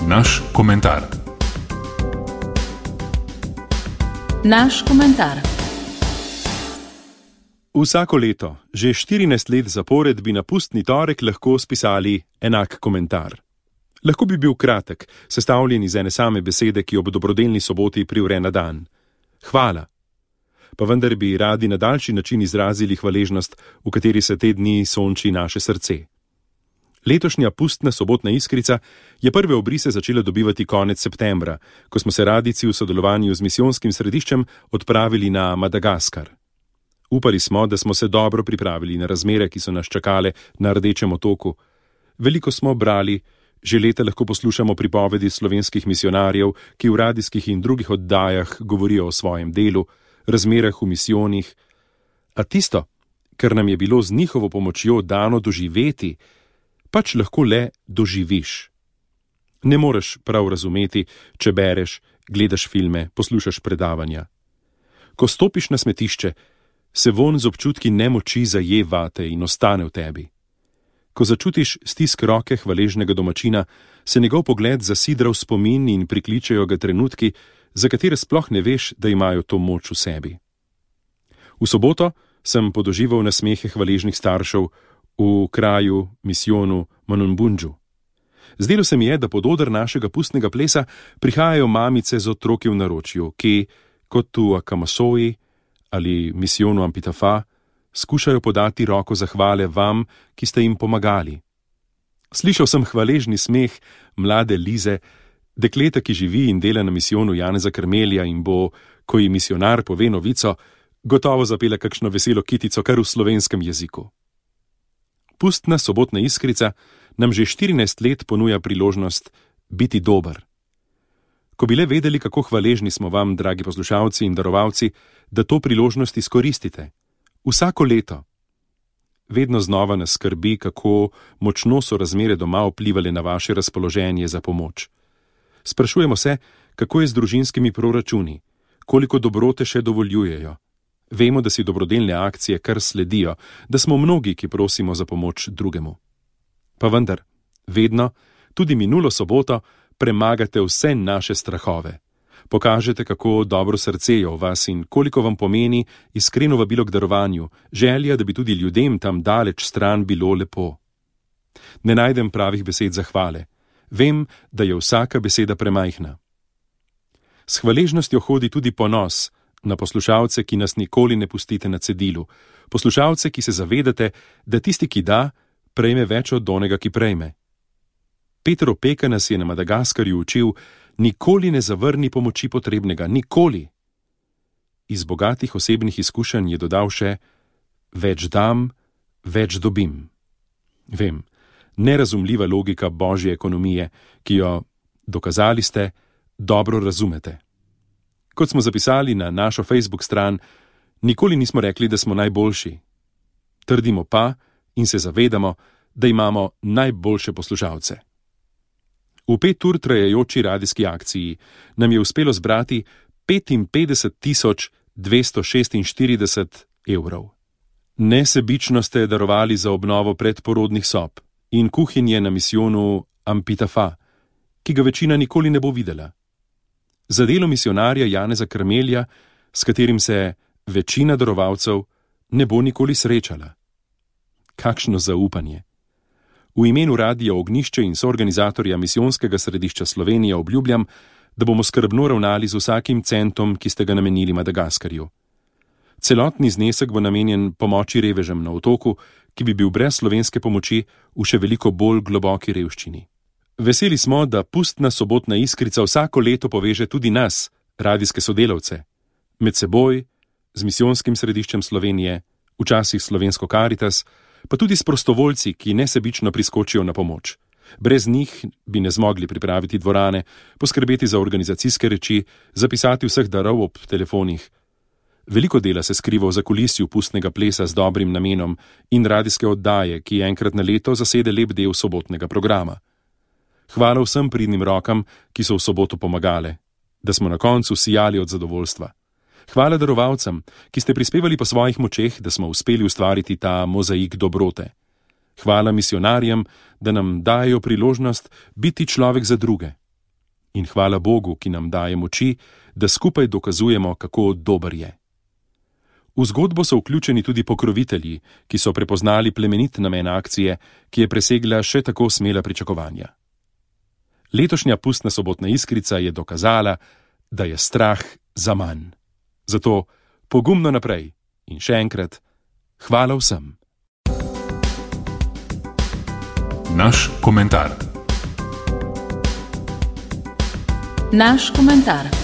Naš komentar. Naš komentar. Vsako leto, že 14 let zapored, bi na pustni torek lahko spisali enak komentar. Lahko bi bil kratek, sestavljen iz ene same besede, ki ob dobrodelni soboti privre na dan. Hvala. Pa vendar bi radi na daljši način izrazili hvaležnost, v kateri se te dni sonči naše srce. Letošnja pustna sobotna iskrica je prve obrise začela dobivati konec septembra, ko smo se radijci v sodelovanju z misijonskim središčem odpravili na Madagaskar. Upali smo, da smo se dobro pripravili na razmere, ki so nas čakale na Rdečem otoku. Veliko smo brali, že leta lahko poslušamo pripovedi slovenskih misionarjev, ki v radijskih in drugih oddajah govorijo o svojem delu, razmerah v misijonih. A tisto, kar nam je bilo z njihovo pomočjo dano doživeti, pač lahko le doživiš. Ne moreš prav razumeti, če bereš, gledaš filme, poslušaš predavanja. Ko stopiš na smetišče, se vonj z občutki nemoči zaje vate in ostane v tebi. Ko začutiš stisk roke hvaležnega domačina, se njegov pogled zasidra v spomin in prikličejo ga trenutki, za katere sploh ne veš, da imajo to moč v sebi. V soboto sem podožival nasmehe hvaležnih staršev v kraju, misijonu Manunbundžu. Zdelo se mi je, da pod oder našega pustnega plesa prihajajo mamice z otroki v naročju, ki, kot v Akamasoji ali misijonu Ampitafa, skušajo podati roko zahvale vam, ki ste jim pomagali. Slišal sem hvaležni smeh mlade Lize, dekleta, ki živi in dela na misijonu Janeza Krmelja in bo, ko ji misionar pove novico, gotovo zapela kakšno veselo kitico kar v slovenskem jeziku. Pustna sobotna iskrica nam že 14 let ponuja priložnost biti dober. Ko bi le vedeli, kako hvaležni smo vam, dragi poslušalci in darovalci, da to priložnost izkoristite. Vsako leto. Vedno znova nas skrbi, kako močno so razmere doma vplivali na vaše razpoloženje za pomoč. Sprašujemo se, kako je z družinskimi proračuni, koliko dobrote še dovoljujejo. Vemo, da si dobrodelne akcije kar sledijo, da smo mnogi, ki prosimo za pomoč drugemu. Pa vendar, vedno, tudi minulo soboto, premagate vse naše strahove. Pokažete, kako dobro srce je v vas in koliko vam pomeni iskreno vabilo k darovanju, želja, da bi tudi ljudem tam daleč stran bilo lepo. Ne najdem pravih besed zahvale. Vem, da je vsaka beseda premajhna. S hvaležnostjo hodi tudi ponos na poslušalce, ki nas nikoli ne pustite na cedilu, poslušalce, ki se zavedate, da tisti, ki da, prejme več od onega, ki prejme. Peter Opeka nas je na Madagaskarju učil, nikoli ne zavrni pomoči potrebnega, nikoli. Iz bogatih osebnih izkušenj je dodal še, več dam, več dobim. Vem, nerazumljiva logika božje ekonomije, ki jo, dokazali ste, dobro razumete. Kot smo zapisali na našo Facebook stran, nikoli nismo rekli, da smo najboljši. Trdimo pa in se zavedamo, da imamo najboljše poslušalce. V 5 ur trajajoči radijski akciji nam je uspelo zbrati 55.246 evrov. Nesebično ste darovali za obnovo predporodnih sob in kuhinje na misijonu Ampitafa, ki ga večina nikoli ne bo videla. Za delo misionarja Janeza Krmelja, s katerim se večina darovalcev ne bo nikoli srečala. Kakšno zaupanje! V imenu Radia Ognjišče in soorganizatorja Misijonskega središča Slovenija obljubljam, da bomo skrbno ravnali z vsakim centom, ki ste ga namenili Madagaskarju. Celotni znesek bo namenjen pomoči revežem na otoku, ki bi bil brez slovenske pomoči v še veliko bolj globoki revščini. Veseli smo, da pustna sobotna iskrica vsako leto poveže tudi nas, radijske sodelavce, med seboj, z Misijonskim središčem Slovenije, včasih Slovensko Karitas, pa tudi s prostovoljci, ki nesebično priskočijo na pomoč. Brez njih bi ne zmogli pripraviti dvorane, poskrbeti za organizacijske reči, zapisati vseh darov ob telefonih. Veliko dela se skriva v zakulisju pustnega plesa z dobrim namenom in radijske oddaje, ki enkrat na leto zasede lep del sobotnega programa. Hvala vsem pridnim rokam, ki so v soboto pomagale, da smo na koncu sijali od zadovoljstva. Hvala darovalcem, ki ste prispevali po svojih močeh, da smo uspeli ustvariti ta mozaik dobrote. Hvala misionarjem, da nam dajo priložnost biti človek za druge. In hvala Bogu, ki nam daje moči, da skupaj dokazujemo, kako dober je. V zgodbo so vključeni tudi pokrovitelji, ki so prepoznali plemenit namen akcije, ki je presegla še tako smela pričakovanja. Letošnja pustna sobotna iskrica je dokazala, da je strah zaman. Zato pogumno naprej in še enkrat hvala vsem. Naš komentar. Naš komentar.